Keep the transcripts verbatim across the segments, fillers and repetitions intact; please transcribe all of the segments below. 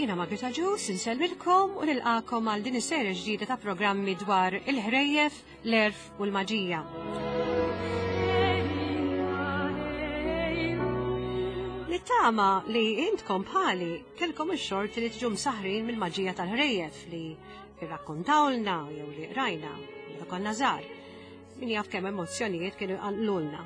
Jiena Margherita Ġus, insellmilkom u nilqakom għal din is-serje ġdida ta' programmi dwar il-ħrejjef, l-erf u l-maġija. Nittama li intkom bħali kellkom ix-xorti li tiġu msaħrin mill-maġija tal-ħrejjef li irrakkontawlna jew li qrajna meta konna żgħar. Min jaf kemm emozzjonijiet kienu jqanqlulna.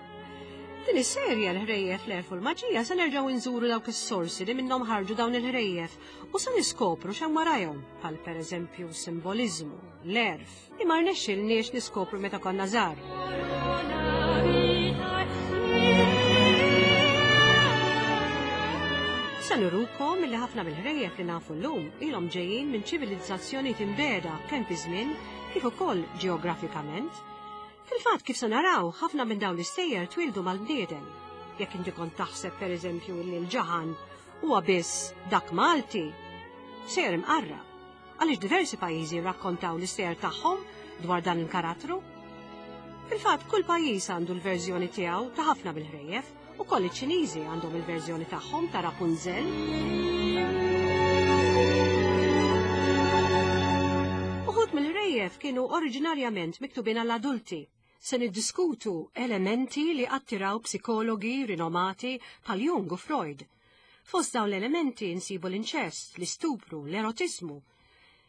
Din is-serje l-ħrejjef l-erf u l-maġija se nerġgħu nżuru dawk is-sorsi li minnhom ħarġu dawn il-ħrejjef u se niskopru x'hemm warajhom, bħal pereżempju simboliżmu, l-erf, li ma rnexxilniex niskopru meta konna żgħar. Se nurukom li ħafna mill-ħrejjef li nafu llum ilhom ġejjin minn ċivilizzazzjoni timbeda kemm fi żmien kif ukoll ġeografikament. Fil-fatt kif se naraw, ħafna minn dawn l-istejjer twildu mal-bniedem. Jekk inti kont taħseb pereżempju li l-ġaħan huwa biss dak Malti, sejjer imqarra. Għaliex diversi pajjiżi rrakkontaw l-istejjer tagħhom dwar dan il-karattru. Fil-fatt kull pajjiż għandu l-verżjoni tiegħu ta' ħafna mill-ħrejjef, ukoll iċ-Ċiniżi għandhom il-verżjoni tagħhom ta' Rapunzel. Uħud mill-ħrejjef kienu oriġinarjament miktubin għall-adulti. Se niddiskutu elementi li attiraw psikologi rinomati bħal Jung u Freud. Fost dawn l-elementi nsibu l-inċest, l-istupru, l-erotiżmu.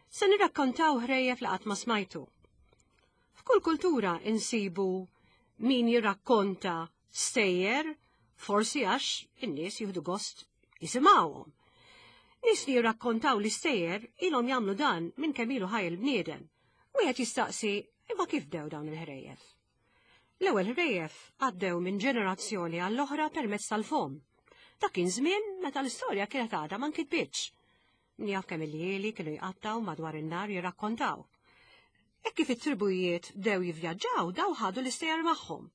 Se nirrakkontaw ħrejjef li qatt ma smajtu. F'kull kultura insibu min jirrakkonta stejjer, forsi għax in-nies jieħdu gost jisimgħuhom. Nies li jirrakkontaw l-istejjer ilhom jagħmlu dan minn kemm ilu ħaj il-bniedem. Wieħed jistaqsi imma kif bdew dawn il-ħrejjef? L-ewwel ħrejjef għaddew minn ġenerazzjoni għall-oħra permezz tal-fom. Dak kien żmien meta l-istorja kienet għadha ma nkitbitx. Min jaf kemm il-lieli kienu jqattaw madwar in-nar jirrakkontaw. Hekk kif it-tribujiet bdew jivvjaġġaw daw ħadu l-istejjer magħhom.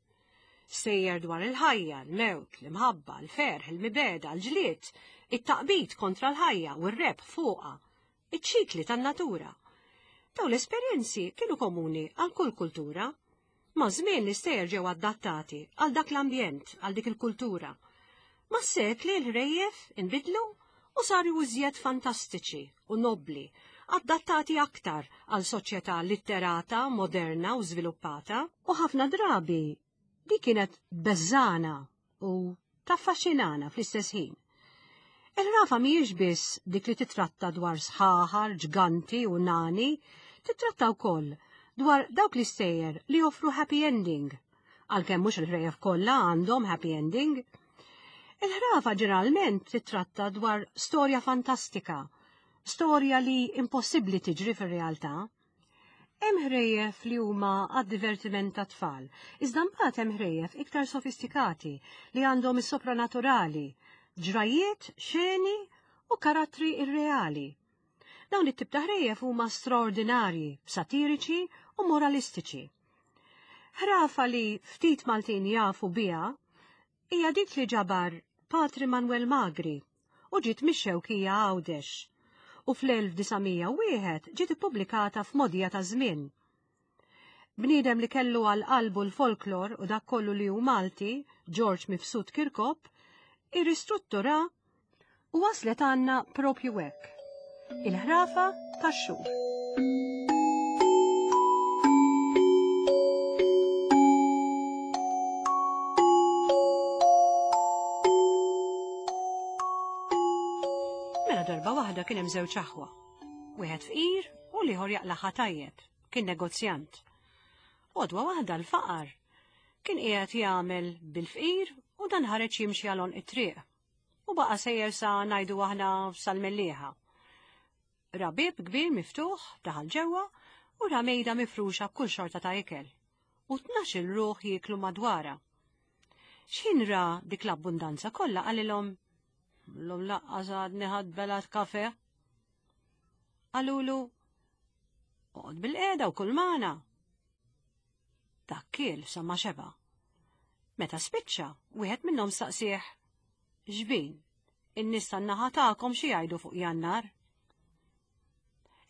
Stejjer dwar il-ħajja, l-mewt, l-imħabba, l-ferħ, il-mibegħda, l-ġlied, it-taqbid kontra l-ħajja u r-rebħ fuqha, iċ-ċikli tan-natura. Dawn l-esperjenzi kienu komuni għal kull kultura. Ma' żmien l-istejjer ġew adattati għal dak l-ambjent, għal dik il-kultura. Ma' sekli l-ħrejjef inbidlu u saru iżjed fantastiċi u nobbli, adattati aktar għal soċjetà litterata, moderna u żviluppata, u ħafna drabi di kienet beżana u taffaxxinana fl-istess ħin. Il-ħrafa mhijiex biss dik li titratta dwar sħaħar, ġganti u nani, titratta wkoll dwar dawk l-istejjer li joffru happy ending, għalkemm mhux il-ħrejjef kollha għandhom happy ending. Il-ħrafa ġeneralment titratta dwar storja fantastika, storja li impossibbli tiġri fir-realtà. Hemm ħrejjef li huma għad-divertiment tat-tfal, iżda mbagħad hemm ħrejjef iktar sofistikati li għandhom is-sopranaturali, ġrajiet, xeni u karattri irreali. Dawn it-tip ta' ħrejjef huma straordinarji, satiriċi u moralistiċi. Ħrafa li ftit Maltin jafu biha hija dik li ġabar Patri Manuel Magri u ġiet mix-Xewkija Għawdex u fl-elf disa' mija u wieħed ġiet ippubblikata f'Modija ta' Żmien. Bniedem li kellu għal qalbu l-folklor u dak kollu li hu Malti, George Mifsud Kirkop, irristruttura u waslet għandna propju hekk. Il-ħrafa tax-xhur. Mela darba waħda kien hemm żewġ aħwa. Wieħed fqir u l-ieħor jaqlaħa tajjeb, kien negozjant. Għodwa waħda l-faqar kien qiegħed jagħmel bil-fqir u dan ħareġ jimxi għal għonq it-triq. U baqa' sejjer sa ngħidu aħna sal-Mellieħa. Ra bieb kbir miftuħ, daħal ġewwa u ra mejda mifruxa b'kull xorta ta' ikel. U tnax-il ruħ jieklu madwarha. X'ħin ra dik l-abbundanza kollha qalilhom, Llum laqqas għadni ħadt belat kafe. Qalulu, Oqgħod bil-qiegħda u kull magħna. Dak kiel sa ma xeba. Meta spiċċa, wieħed minnhom staqsih, Xbin, in-nies tan-naħa tagħkom xi jgħidu fuq Jannar?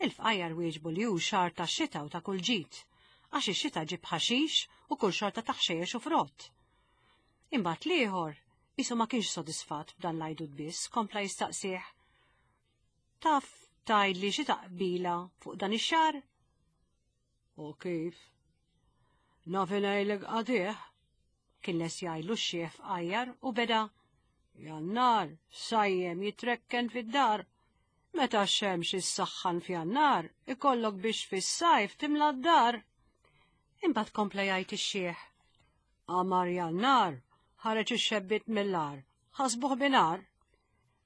Il-fqajjar wieġbu li hu xahar ta' xita u ta' kull ġid, għax ix-xita ġib ħaxix u kull xorta ta' ħxejjex u frott. Imbagħad l-ieħor qisu ma kienx sodisfatt b'dan l-għajdut biss, kompla jistaqsih. Taf tgħidli xi taqbila fuq dan ix-xahar? U kif? Naf ngħidlek qatigħ, kien les jgħidlu x-xiħ fqajjar u beda. Jannar, sajjem jitrekken fid-dar. Meta x-xemx issaħħan f'Jannar, ikollok biex fis-sajf timla d-dar. Imbagħad kompla jgħid ix-xiħ. Qamar Jannar, ħareġ ix-xebbiet mill-għar, ħasbuh binar.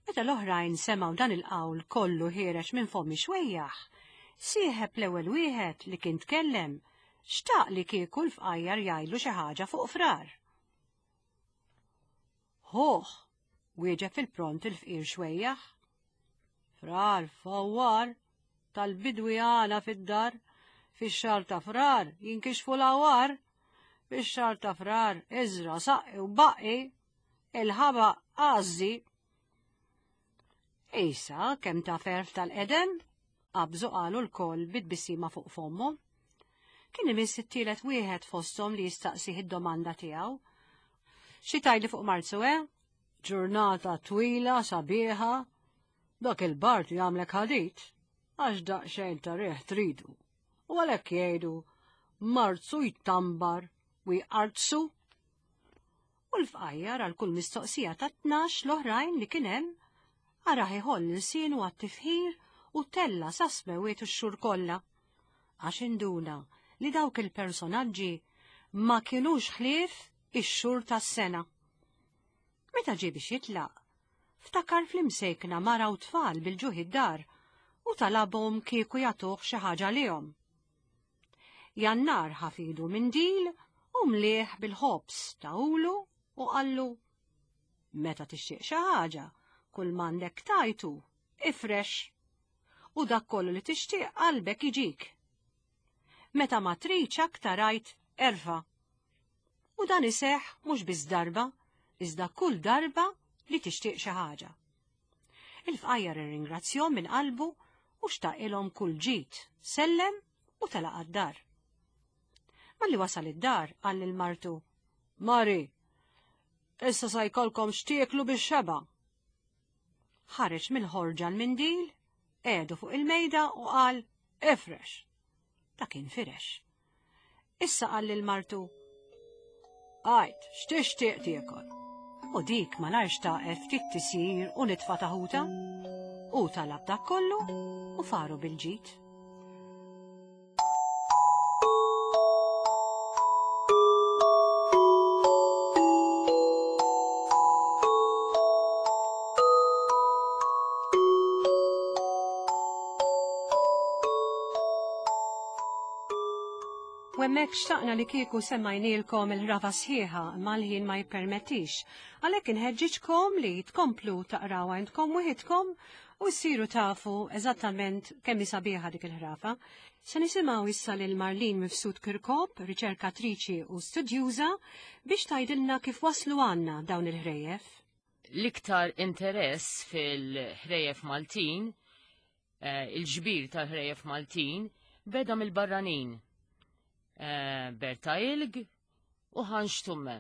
Meta l-oħrajn semgħu dan il-qawl kollu ħiereġ minn fomm ix-xwejjaħ, sieħeb l-ewwel wieħed li kien tkellem, xtaq li kieku l-fqajjar jgħidlu xi ħaġa fuq Frar. Ħuh, wieġeb fil-pront il-fqir xwejjaħ. Frar fawwar, tal-bidwi għana fid-dar, fix-xahar ta' Frar jinkixfu l-għawar, fix-xahar ta' Frar iżra saqqi u baqqi, il-ħaba għażżi. Isa, kemm ta' ferf tal-qedem, qabżu qalu l-koll bit-tbissima fuq fommhom. Kien imiss it-tielet wieħed fosthom li jistaqsih id-domanda tiegħu. Xi tgħidli fuq Marzu, eh? Ġurnata twila, sabiħa, dak il-bart jagħmlek ħadid, għax daqsxejn ta' riħ tridu. U għalhekk jgħidu Marzu jtambar u jqartsu. U l-fqajjar għal kull mistoqsija ta' tnax l-oħrajn li kien hemm, araħ iħoll lsienu għat-tifħir u tella sa smewiet ix-xhur kollha. Għax induna li dawk il-personaġġi ma kienux ħlief ix-xhur tas-sena. Meta ġie biex jitlaq, ftakar fl-imsejkna mara u tfal bil-ġuħ id-dar u talabhom kieku jagħtuh xi ħaġa lihom. Jannar ħafidu mindil u mlieh bil-ħobż tawlu u qallu: Meta tixtieq xi ħaġa, kull m'għandek tajtu, ifrex. U dak kollu li tixtieq qalbek jiġik. Meta ma tridx aktar għid erfa'. U dan iseħħ mhux biss darba, iżda kull darba li tixtieq xi ħaġa. Il-fqajjar irringrazzjahom minn qalbu u xtaqilhom kull ġid, sellem u telaq għad-dar. Malli wasal id-dar qal lil martu: Mari, issa sa jkollkom x'tieklu bix-xeba'. Ħareġ mill-ħorġa l-mindil, qiegħdu fuq il-mejda u qal: Ifrex. Ta' kien firex. Issa qal lil martu: Għajt, x'tixtieq tiekol? U dik malajr xtaqet ftit tisjir u nitfa taħuta. U talab dak kollu u faru bil-ġid. U hemmhekk xtaqna li kieku semmajnielkom il-ħrafa sħiħa imma l-ħin ma jippermettix. Għalhekk inħeġġiġkom li tkomplu taqraw għandkom wieħedkom u ssiru tafu eżattament kemm hi sabiħa dik il-ħrafa. Se nisimgħu issa lil Marlene Mifsud Kirkop, riċerkatriċi u studjuża, biex tgħidilna kif waslu għandna dawn il-ħrejjef. L-iktar interess fil-ħrejjef Maltin, eh, il-ġbir tal-ħrejjef Maltin, beda mill-barranin. Eh, Berta Ilg u Hans Stumme.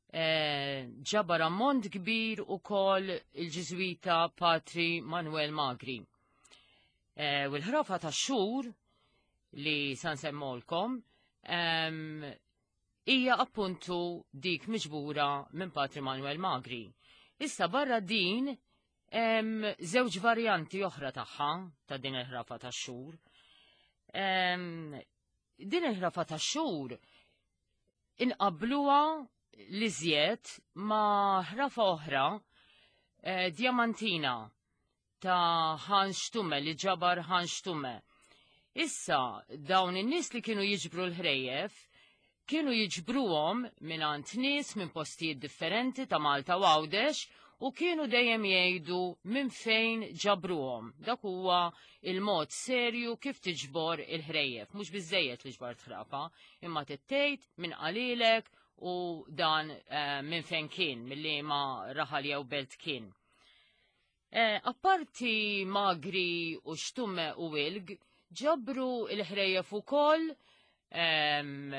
Eh, ġabar ammont kbir u kol il-ġiżwita Patri Manuel Magri. Eh, u l-ħrafa ta' xhur li san semmolkom ehm, hija appuntu dik miġbura minn Patri Manuel Magri. Issa barra din hemm żewġ varjanti oħra tagħha ta' din il-ħrafa ta' xhur. Ehm, din il-ħrafa ta' xhur inqabluha li żjed ma' ħrafa oħra, eh, Diamantina ta' Hans Stumme, li ġabar Hans Stumme. Issa dawn in-nies li kienu jiġbru l-ħrejjef kienu jiġbruhom mingħand nies minn postijiet differenti ta' Malta u Għawdex u kienu dejjem jgħidu minn fejn ġabruhom. Dak huwa il-mod serju kif tiġbor il-ħrejjef. Mhux biżejjed li ġbart ħrafa, imma tittejt minn qalilek u dan eh, minn fejn kien, mill-liema raħal jew belt kien. Eh, apparti Magri u Stumme u Ilg, ġabru il-ħrejjef ukoll ehm,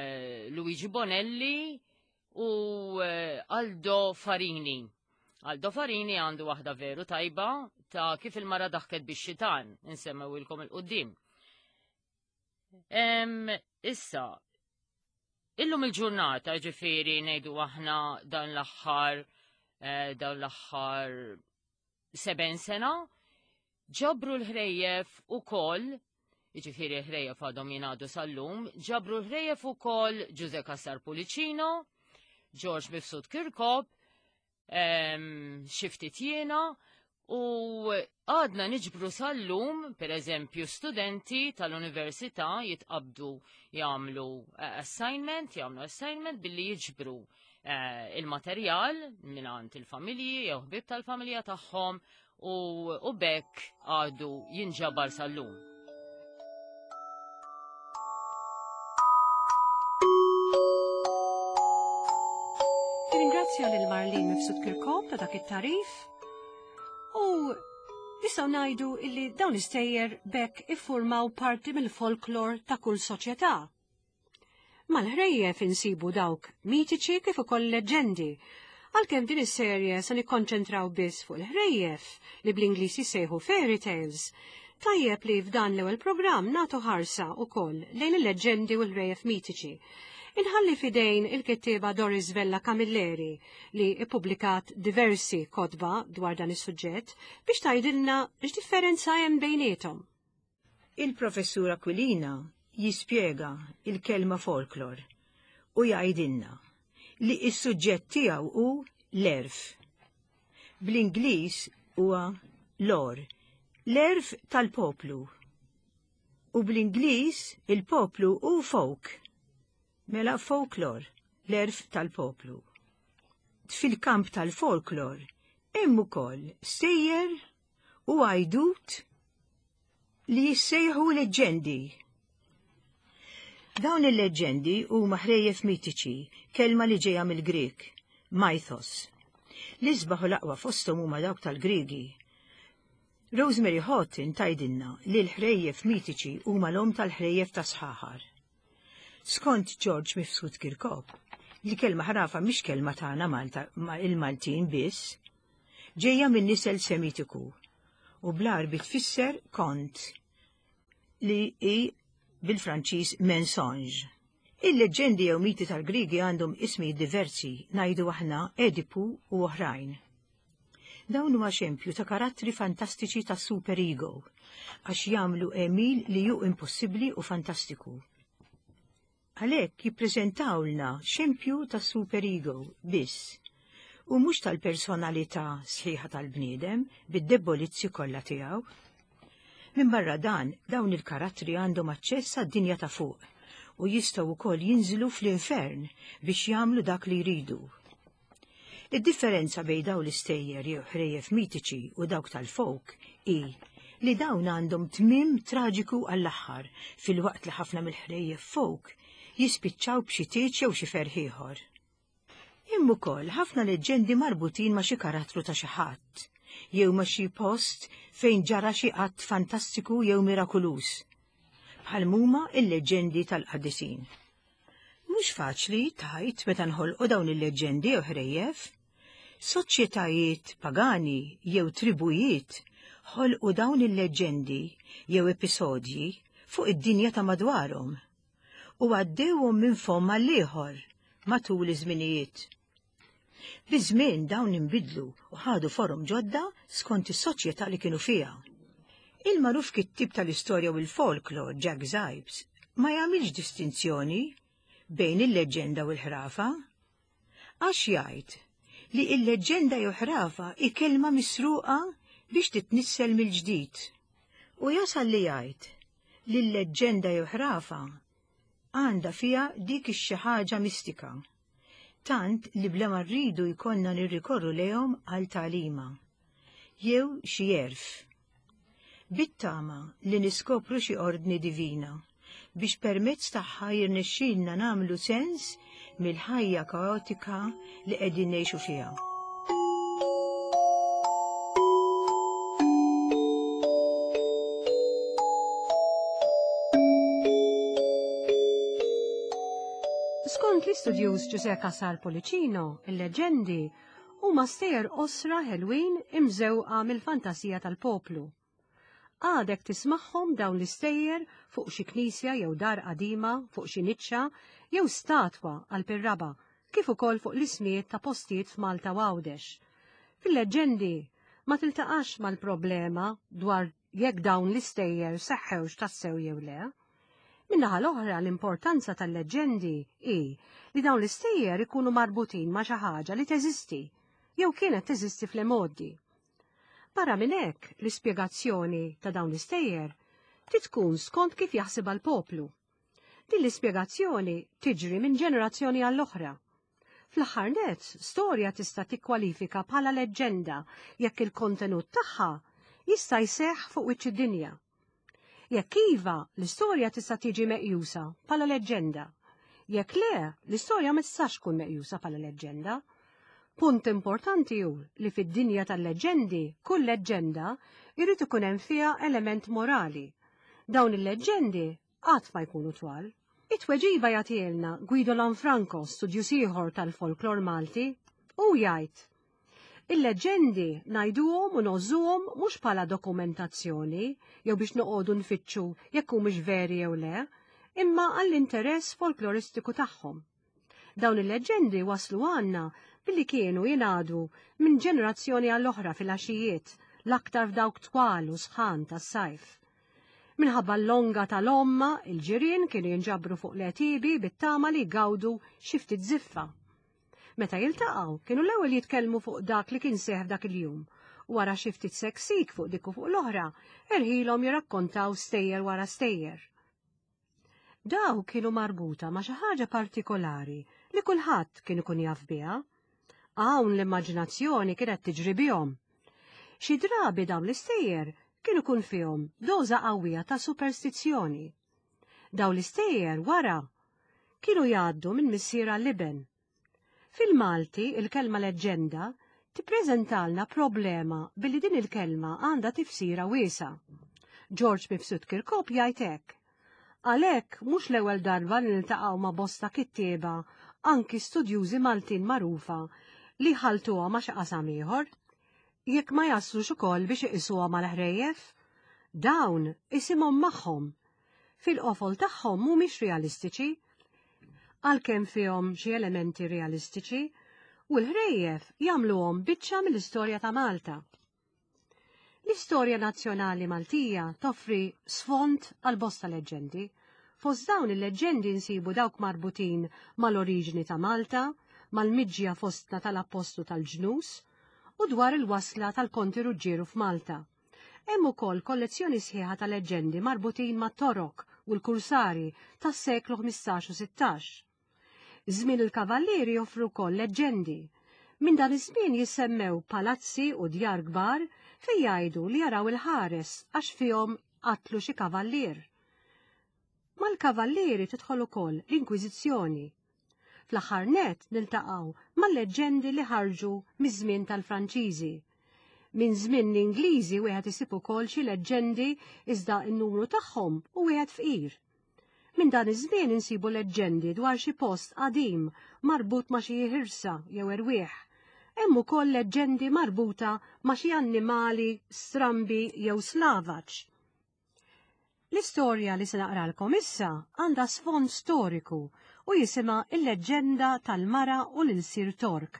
Luigi Bonelli u eh, Aldo Farini. Aldo Farini għandu waħda veru tajba ta' kif il-mara daħket bix-xitan, insemmewilkom il-qoddim. Issa, illum il-ġurnata ġifieri ngħidu aħna dan l-aħħar eh, dan l-aħħar seben sena, ġabru l-ħrejjef ukoll, jiġifieri l-ħrejjef għadhom jingħadu sal-lum, ġabru l-ħrejjef ukoll Ġuże Cassar Pullicino, George Mifsud Kirkop, xi ftit jiena, u għadna niġbru sal-lum, per eżempju, studenti tal-università jitqabdu jagħmlu eh, assignment, jagħmlu assignment billi jiġbru eh, il-materjal mingħand il-familji jew ħbieb tal-familja tagħhom u, u bekk għadu jinġabar sal-lum. Ringrazzja lil Marlene Mifsud Kirkop ta' dak it-tarif u nistgħu ngħidu illi dawn l-istejjer bekk iffurmaw parti mill-folklor ta' kull soċjetà. Mal-ħrejjef insibu dawk mitiċi kif ukoll leġendi. Għalkemm din is-serje se nikkonċentraw biss fuq il-ħrejjef li bl-Ingliż jissejħu fairy tales, tajjeb li f'dan l-ewwel programm nagħtu ħarsa wkoll lejn il-leġendi u l-ħrejjef mitiċi. Inħalli fidejn il-kittieba Doris Vella Camilleri li ippubblikat diversi kotba dwar dan is-suġġett biex tgħidilna x'differenza hemm bejniethom. Il-professur Aquilina jispjega il-kelma folklor u jgħidilna li s-suġġett tiegħu hu l-għerf. Bl-Ingliż huwa lore, l-għerf tal-poplu. U bl-Ingliż il-poplu hu folk. Mela folklor, l-għerf tal-poplu. Fil-kamp tal-folklor hemm ukoll sejjer u għajdut li jissejħu leġendi. Dawn il-leġendi huma ħrejjef mitiċi, kelma li ġejja mill-Grek, mythos. L-isbaħ u l-aqwa fosthom huma dawk tal-Griegi. Rosemary Houghton tgħidilna li l-ħrejjef mitiċi huma l-om tal-ħrejjef ta' sħaħar. Skont George Mifsud Kirkop, li kelma ħrafa mhix kelma tagħna Malta ma il-Maltin biss, ġejja minn nisel Semitiku u bl-Għarbi tfisser kont li hi bil-Franċiż mensonge. Il-leġendi jew miti tal-Griegi għandhom ismi diversi, ngħidu aħna Edipu u oħrajn. Dawn huma xempju ta' karattri fantastiċi ta' super ego, għax jagħmlu għemil li hu impossibbli u fantastiku. Għalhekk jippreżentawlna xempju ta' super ego biss, u mhux tal-personalità sħiħa tal-bniedem bid-debolizzi kollha tiegħu. Minn barra dan, dawn il-karattri għandhom aċċess għad-dinja ta' fuq u jistgħu wkoll jinżlu fl-infern biex jagħmlu dak li jridu. Id-differenza bejn dawn l-istejjer jew ħrejjef mitiċi u dawk tal-folk hi li dawn għandhom tmiem traġiku għall-aħħar fil-waqt li ħafna mill-ħrejjef folk jispiċċaw b'xi tieġ jew xi ferħ ieħor. Hemm ukoll ħafna leġendi marbutin ma' xi karattru ta' xi ħadd jew ma' xi post fejn ġara xi att fantastiku jew mirakuluż, bħal huma il-leġendi tal-qaddisin. Mhux faċli tgħid meta nħolqu dawn il-leġendi jew ħrejjef. Soċjetajiet pagani jew tribujiet ħolqu dawn il-leġendi jew episodji fuq id-dinja ta' madwarhom u għaddewhom minn fomm għall-ieħor matul iż-żminijiet. Biż-żmien dawn inbidlu u ħadu forom ġodda skont is-soċjetà li kienu fiha. Il-magħruf kittieb tal-istorja u l-folklor Jack Zipes ma jagħmilx distinzjoni bejn il-leġenda u l-ħrafa, għax jgħid li il-leġenda jew ħrafa hi kelma misruqa biex titnissel mill-ġdid. U jasal li jgħid li l-leġenda jew ħrafa għandha fiha dik ix-xi ħaġa mistika, tant li bla ma rridu jkollna nirrikorru lejhom għal tagħlima jew xi għerf. Bit-tama li niskopru xi ordni divina biex permezz tagħha jirnexxielna nagħmlu sens mill-ħajja kaotika li qegħdin ngħixu fiha. Skont l-istudjuż Ġuże Cassar Pullicino, il-leġendi Huma stejjer qosra ħelwin imżewqa mill-fantasija tal-poplu. Għadek tismagħhom dawn l-istejjer fuq xi knisja jew dar qadima, fuq xi niċċa jew statwa għal pirraba, kif ukoll fuq l-ismijiet ta' postijiet f'Malta u Għawdex. Fil-leġġendi ma tiltaqax mal-problema dwar jekk dawn l-istejjer seħħewx tassew jew le. Min-naħa l-oħra l-importanza tal-leġġendi hi li dawn l-istejjer ikunu marbutin ma' xi ħaġa li teżisti jew kienet teżisti fl-imgħoddi. Barra minn hekk, l-ispjegazzjoni ta' dawn l-istejjer trid tkun skont kif jaħsibha l-poplu. Din l-ispjegazzjoni tiġri minn ġenerazzjoni għall-oħra. Fl-aħħar nett, storja tista' tikkwalifika bħala leġġenda jekk il-kontenut tagħha jista' jseħħ fuq wiċċ id-dinja. Jekk iva, l-istorja tista' tiġi meqjusa bħala leġġenda. Jekk le, l-istorja ma tistax tkun meqjusa bħala leġġenda. Punt importanti hu li fid-dinja tal-leġġendi, kull leġġenda jrid ikun hemm fiha element morali. Dawn il-leġġendi qatt ma jkunu twal. It-tweġiba jagħtielna Guido Lanfranco, studjuż ieħor tal-folklor Malti, u jgħid: Il-leġġendi ngħiduhom u ngħożżuhom mhux bħala dokumentazzjoni jew biex noqogħdu nfittxu jekk humiex veri jew le, imma għall-interess folkloristiku tagħhom. Dawn il-leġġendi waslu għandna billi kienu jingħadu minn ġenerazzjoni għall-oħra fil-għaxijiet, l-aktar f'dawk twal u sħan tas-sajf. Minħabba l-longa tal-omma, il-ġirien kienu jinġabru fuq l-għetiebi bit-tama li jgawdu xi ftit żiffa. Meta jiltaqgħu, kienu l-ewwel jitkellmu fuq dak li kien seħħ f'dak il-jum, u wara xi ftit seksik fuq dik u fuq l-oħra, erħilhom jirrakkontaw stejjer wara stejjer. Daw kienu marbuta ma' xi ħaġa partikolari li kulħadd kien ikun jaf biha. Hawn l-immaġinazzjoni kienet tiġri bihom. Xi drabi dawn l-istejjer kienu kun fihom doża qawwija ta' superstizzjoni. Dawn l-istejjer wara kienu jgħaddu minn missier għall-iben. Fil-Malti il-kelma leġġenda tippreżentalna problema billi din il-kelma għandha tifsira wiesgħa. George Mifsud Kirkop jgħid hekk: Għalhekk mhux l-ewwel darba li niltaqgħu ma' bosta kittieba, anki studjużi Maltin magħrufa, li ħaltuha ma' xi qasam ieħor, jekk ma jaslux ukoll biex iqisuha mal-ħrejjef, dawn isimhom magħhom. Fil-qofol tagħhom mhumiex realistiċi, għalkemm fihom xi elementi realistiċi, u l-ħrejjef jagħmluhom biċċa mill-istorja ta' Malta. L-istorja nazzjonali Maltija toffri sfond għal bosta leġġendi. Fost dawn il-leġġendi nsibu dawk marbutin mal-oriġini ta' Malta, mal-miġja fostna tal-Appostlu tal-Ġnus, u dwar il-wasla tal-Konti Ruġġieru f'Malta. Hemm ukoll kollezzjoni sħiħa ta' leġġendi marbutin mat-Torok u l-Kursari tas-seklu ħmistax u sittax. Żmien il-Kavallieri joffru wkoll leġġendi. Minn dan iż-żmien jissemmew palazzi u djar kbar fejn jgħidu li jaraw il-ħares għax fihom qatlu xi kavallier. Mal-kavallieri tidħol ukoll l-Inkwiżizzjoni. Fl-aħħar nett niltaqgħu mal-leġġendi li ħarġu miż-żmien tal-Franċiżi. Minn żmien l-Ingliżi wieħed isib ukoll xi leġġendi iżda n-numru tagħhom hu wieħed fqir. Minn dan iż-żmien insibu leġġendi dwar xi post qadim marbut ma' xi ħirsa jew erwieħ. Hemm ukoll leġġendi marbuta ma' xi annimali strambi jew slavaġ. L-istorja li se naqralkom issa għandha sfond storiku u jisimha il-leġġenda tal-mara u l-ilsir Tork,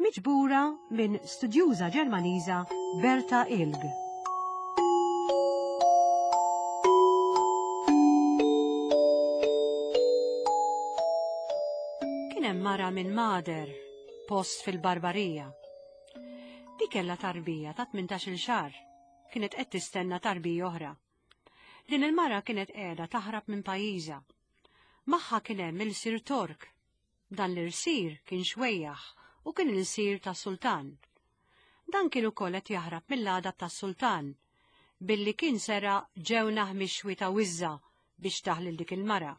miġbura minn studjuża Ġermaniża Berta Ilg. Kien hemm mara minn Mader, post fil-Barbarija. Di kellha tarbija ta' tmintax-il xahar, kienet qed tistenna tarbija oħra. Din il-mara kienet qiegħda taħrab minn pajjiżha. Magħha kien hemm il-Sir Tork. Dan l-irsir kien xwejjaħ u kien il-sir tas-sultan. Dan kien ukoll qed jaħrab mill-għadab tas-sultan, billi kien seraq ġewnaħ mixwi ta' wiżża biex taħlil dik il-mara.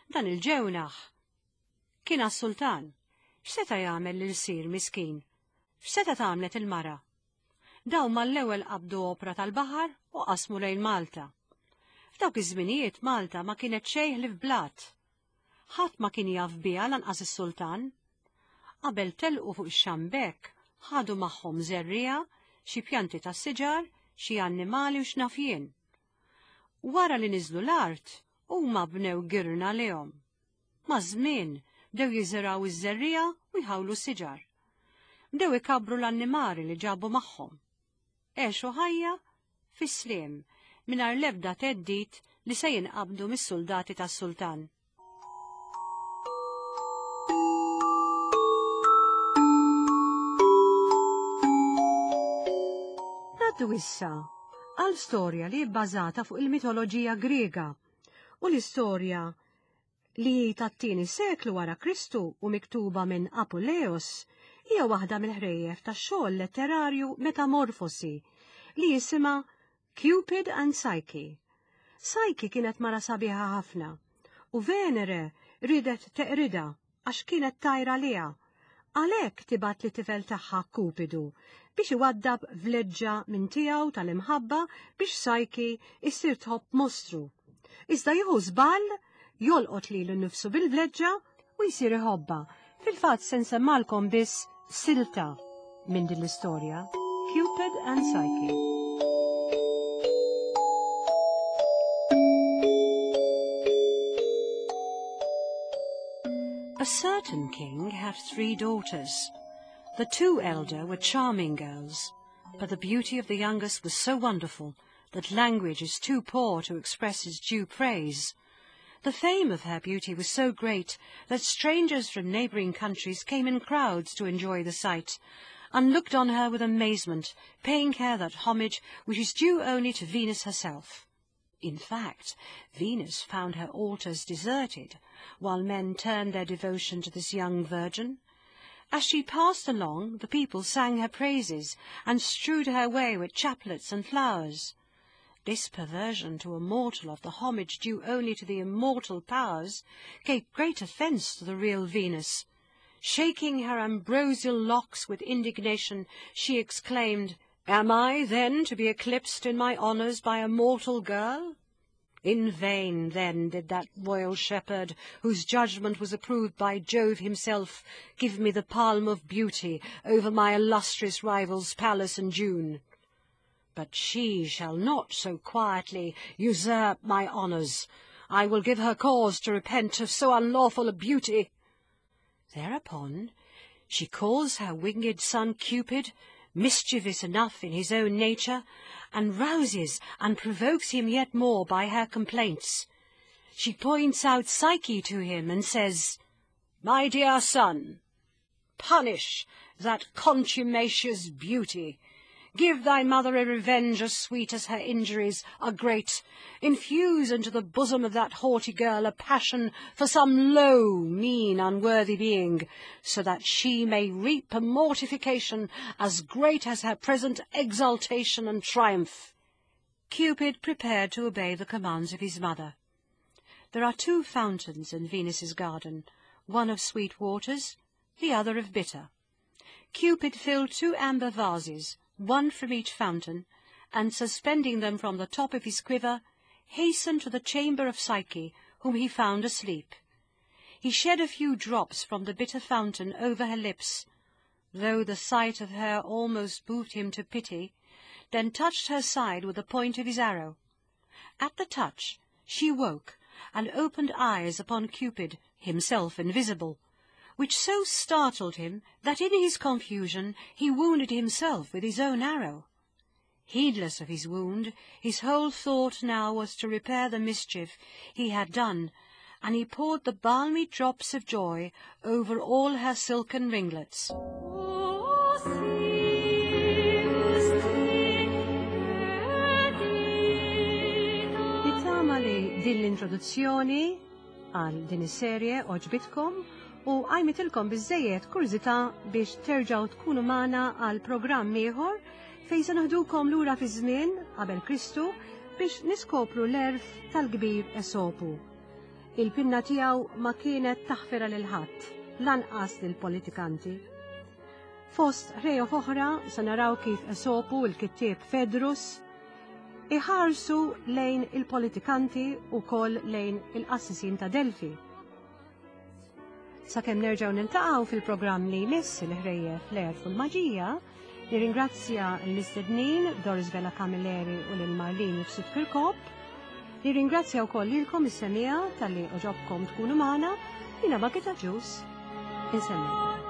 Dan il-ġewnaħ kien għas-sultan. X'seta' jagħmel l-irsir miskin? X'seta' tagħmlet il-mara? Dawn mal-ewwel qabdu opra tal-baħar u qasmu lejn Malta. F'dawk iż-żminijiet Malta ma kienet xejn li f'blat. Ħadd ma kien jaf biha lanqas is-sultan. Qabel telqu fuq ix-xambek, Ħadu magħhom żerriegħa, xi pjanti ta' siġar, xi annimali u x'naf jien. Wara li niżlu l-art, huma bnew girna lehom. Maż-żmien bdew jiżirgħu iż-żerriegħa u jħawlu siġar. Bdew ikabbru l-annimali li ġabu magħhom. Għexu ħajja fis-sliem mingħajr l-ebda theddid li se jinqabdu mis-soldati tas-sultan. Ngħaddu issa għal storja li bbażata fuq il-mitoloġija Griega u l-istorja li tat-tieni seklu wara Kristu u miktuba minn Apuleius hija waħda mill-ħrejjef tax-xogħol letterarju Metamorfosi li jisimha Cupid and Psyche. Psyche kienet mara sabiħa ħafna u Venere ridet teqridha għax kienet tajra liha. Għalhekk tibgħat lit-tifel tagħha Kupidu biex iwaddab vleġġa minn tiegħu tal-imħabba biex Psyche issir tħobb mostru. Iżda jieħu żball, jolqot lilu nnifsu bil-vleġġa u jsir iħobba. Fil-fatt se nsemmalkom biss silta minn din l-istorja, Cupid and Psyche. A certain king had three daughters. The two elder were charming girls, but the beauty of the youngest was so wonderful that language is too poor to express its due praise. The fame of her beauty was so great that strangers from neighbouring countries came in crowds to enjoy the sight, and looked on her with amazement, paying her that homage which is due only to Venus herself. In fact, Venus found her altars deserted, while men turned their devotion to this young virgin. As she passed along, the people sang her praises, and strewed her way with chaplets and flowers. This perversion to a mortal of the homage due only to the immortal powers gave great offence to the real Venus. Shaking her ambrosial locks with indignation, she exclaimed, "Am I, then, to be eclipsed in my honours by a mortal girl?" In vain, then, did that royal shepherd, whose judgment was approved by Jove himself, give me the palm of beauty over my illustrious rivals Pallas and June. But she shall not so quietly usurp my honours. I will give her cause to repent of so unlawful a beauty. Thereupon she calls her winged son Cupid, mischievous enough in his own nature, and rouses and provokes him yet more by her complaints. She points out Psyche to him and says, "My dear son, punish that contumacious beauty. Give thy mother a revenge as sweet as her injuries are great. Infuse into the bosom of that haughty girl a passion for some low, mean, unworthy being, so that she may reap a mortification as great as her present exultation and triumph." Cupid prepared to obey the commands of his mother. There are two fountains in Venus's garden, one of sweet waters, the other of bitter. Cupid filled two amber vases, one from each fountain, and suspending them from the top of his quiver, hastened to the chamber of Psyche, whom he found asleep. He shed a few drops from the bitter fountain over her lips, though the sight of her almost moved him to pity, then touched her side with the point of his arrow. At the touch she woke and opened eyes upon Cupid, himself invisible, which so startled him that in his confusion he wounded himself with his own arrow. Heedless of his wound, his whole thought now was to repair the mischief he had done, and he poured the balmy drops of joy over all her silken ringlets. Nittama li din l-introduzzjoni għal din is-serje għoġbitkom u għajmitilkom biżżejjed kurżità biex terġgħu tkunu magħna għal programm ieħor fejn se naħdukom lura fi żmien qabel Kristu biex niskopru l-erf tal-kbir Esopu. Il-pinna tiegħu ma kienet taħfira lil ħadd, lanqas lill-politikanti. Fost ħrejjef oħra se naraw kif Esopu il-kittieb Fedrus iħarsu lejn il-politikanti u koll lejn il-qassisin ta' Delfi. Sakemm nerġgħu niltaqgħu fil-programm li jmiss il-ħrejjef l-għerf u l-maġija, nirringrazzja l-mistednin Doris Vella Camilleri u lil Marlene Mifsud Kirkop. Nirringrazzja wkoll lilkom is-semmiegħa talli għoġobkom tkunu magħna, jiena Margit Agius, insellmilkom.